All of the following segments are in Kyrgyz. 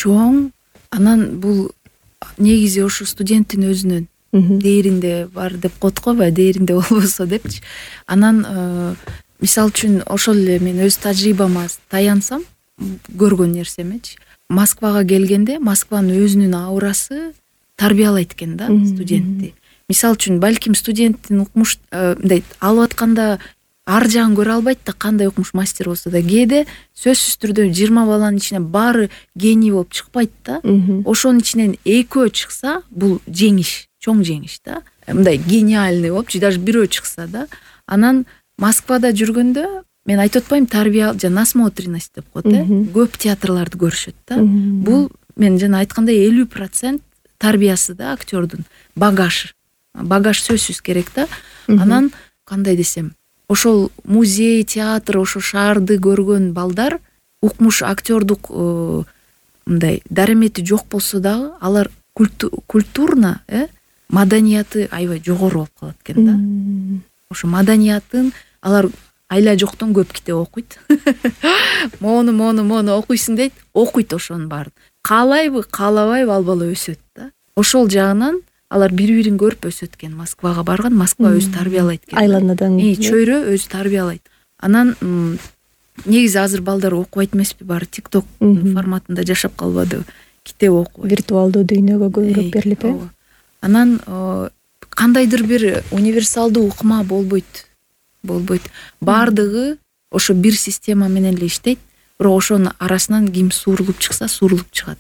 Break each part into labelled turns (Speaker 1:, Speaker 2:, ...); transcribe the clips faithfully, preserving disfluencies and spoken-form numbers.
Speaker 1: чоң. Анан бул негизи ошо студенттин өзүнүн дээринде бар деп коет го, баягы дээринде болбосо депчи. Анан мисалы үчүн ошол эле мен өз тажрыйбама таянсам, көргөн нерсемечи. Москвага келгенде Москванын өзүнүн аурасы тарбиялайт экен да студентти. Мисалы үчүн балким студенттин укмуш мындай алып атканда ар жагын көрө албайт да, кандай укмуш мастер болсо да. Кээде сөзсүз түрдө жыйырма баланын ичинен баары гений болуп чыкпайт да. Ошонун ичинен экөө чыкса, бул жеңиш, чоң жеңиш да. Мындай гениальный болупчу, даже бирөө чыкса да. Анан Москвада жүргөндө мен айтып атпайм, тарбия жана насмотренность деп коет, э? Көп театрларды көрүшөт да. Бул мен жана айткандай элүү процент тарбиясы да актёрдун. Багаж. Багаж сөзсүз керек да. Анан кандай десем, ошол музей, театр, ошо шаарды көргөн балдар укмуш актёрдук мындай дарамети жок болсо дагы, алар культурно, э, маданияты аябай жогору болуп калат экен да. Ошо маданиятын алар айла жоктон көп китеп окуйт. Мону, мону, мону окуйсуң дейт, окуйт ошонун баарын. Каалайбы, каалабайбы ал бала өсөт да. Ошол жагынан алар бири-бирин көрүп өсөт экен. Москвага барган, Москва өзү тарбиялайт экен.
Speaker 2: Айланадан.
Speaker 1: И чөйрө өзү тарбиялайт. Анан негизи азыр балдар окубайт эмеспи, баары TikTok форматында жашап калбадыбы? Китеп окубайт.
Speaker 2: Виртуалдуу дүйнөгө көбүрөөк берилип, э?
Speaker 1: Анан кандайдыр бир универсалдуу укма болбойт. Болбойт. Бардыгы ошо бир система менен эле иштейт. Бирок ошонун арасынан ким суурулуп чыкса, суурулуп чыгат.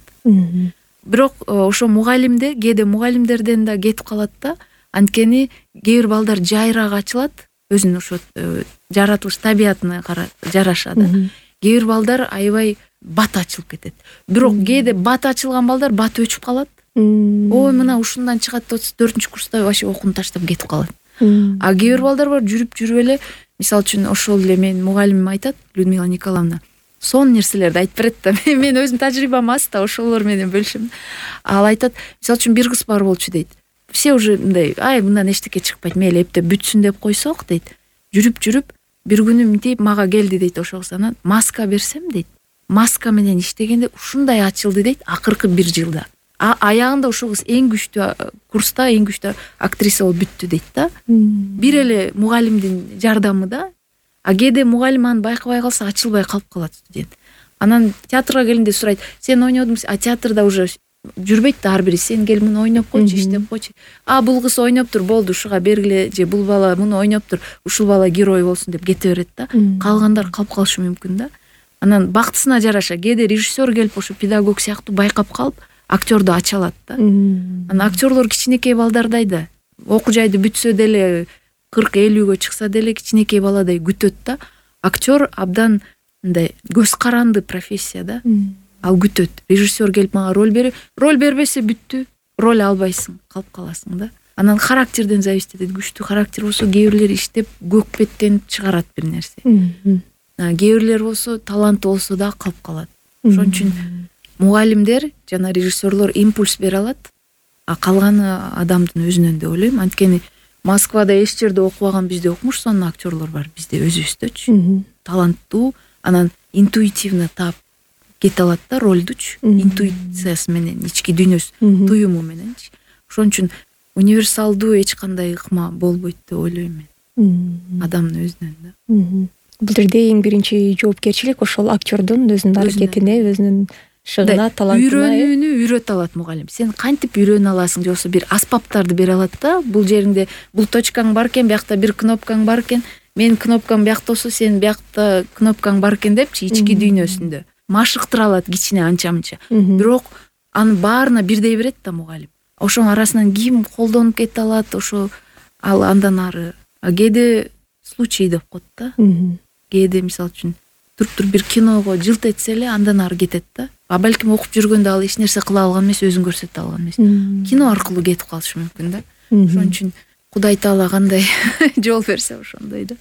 Speaker 1: Бирок ошо мугалимде, кээде мугалимдерден да кетип калат да. Анткени кээ бир балдар жайраак ачылат, өзүнүн ошо жаратылыш табиятына жараша да. Кээ бир балдар аябай бат ачылып кетет. Бирок кээде бат ачылган балдар бат өчүп калат. Ой, мына ушундан чыгат деп төртүнчү курста вообще окууну таштап кетип калат. А кээ бир балдар бар, жүрүп жүрүп эле, мисалы үчүн ошол эле менин мугалимим айтат, Людмила Николаевна, сон нерселерди айтып берет да. Мен өзүм тажрыйбам аз да, ошолор менен бөлүшөм. Ал айтат, мисалы үчүн бир кыз бар болчу дейт. Все уже мындай, ай, мындан эчтеке чыкпайт, мейли эптеп бүтсүн деп койсок дейт. Жүрүп жүрүп бир күнү мынтип мага келди дейт, ошол кыз. Маска берсем дейт. Маска менен иштегенде ушундай ачылды дейт, акыркы бир жылда. А аягында ошол кыз эң күчтүү курста, эң күчтүү актриса болуп бүттү дейт да. Бир эле мугалимдин жардамы да. А кээде мугалим аны байкабай калса, ачылбай калып калат студент. Анан театрга келгенде сурайт, сен ойнодуң, а театрда уже жүрбөйт да ар бири, сен кел муну ойноп койчу, иштеп койчу. А бул кыз ойноптур, болду, ушуга бергиле, же бул бала муну ойноптур, ушул бала герой болсун деп кете берет да. Калгандар калып калышы мүмкүн да. Анан бактысына жараша кээде режиссер келип ошо педагог сыяктуу байкап калып, актёрду ача алат да. Анан актёрлор кичинекей балдардай да. Окуу жайды бүтсө деле, кырк элүүгө чыкса деле кичинекей баладай күтөт да. Актер абдан мындай көз каранды профессия да. Ал күтөт. Режиссер келип мага роль берип, роль бербесе бүттү. Роль албайсың, калып каласың да. Анан характерден зависит этет. Күчтүү характер болсо, кээ бирлер иштеп көкпеттенип чыгарат бир нерсе. Кээ бирлер болсо, таланты болсо да калып калат. Ошон үчүн мугалимдер жана режиссерлор импульс бере алат, а калганы адамдын өзүнөн деп ойлойм. Анткени Москвада эч жерде окубаган бизде укмуш сонун актерлор бар, бизде өзүбүздөчү. Таланттуу, анан интуитивно таап кете алат да ролдучу, интуициясы менен, ички дүйнөсү, туюму мененчи. Ошон үчүн универсалдуу эч кандай ыкма болбойт деп ойлойм мен. Адамдын өзүнөн да.
Speaker 2: Бул жерде эң биринчи жоопкерчилик ошол актёрдун өзүнүн аракетине, өзүнүн шыгына, талантына.
Speaker 1: Үйрөнүүнү үйрөтө алат мугалим. Сен кантип үйрөнө аласың, же болбосо бир аспаптарды бере алат да. Бул жеринде бул точкаң бар экен, биякта бир кнопкаң бар экен, менин кнопкам биякта болсо, сен биякта кнопкаң бар экен депчи, ички дүйнөсүндө машыктыра алат кичине анча-мынча. Бирок анын баарына бирдей берет да мугалим. Ошонун арасынан ким колдонуп кете алат, ошо ал андан ары. Кээде случай деп коет да. Кээде мисалы үчүн туруп-туруп бир киного жылт этсе эле андан ары кетет да. А балким окуп жүргөндө ал эч нерсе кыла алган эмес, өзүн көрсөтө алган эмес. Кино аркылуу кетип калышы мүмкүн да. Ошон үчүн Кудай Таала кандай жол берсе ошондой да.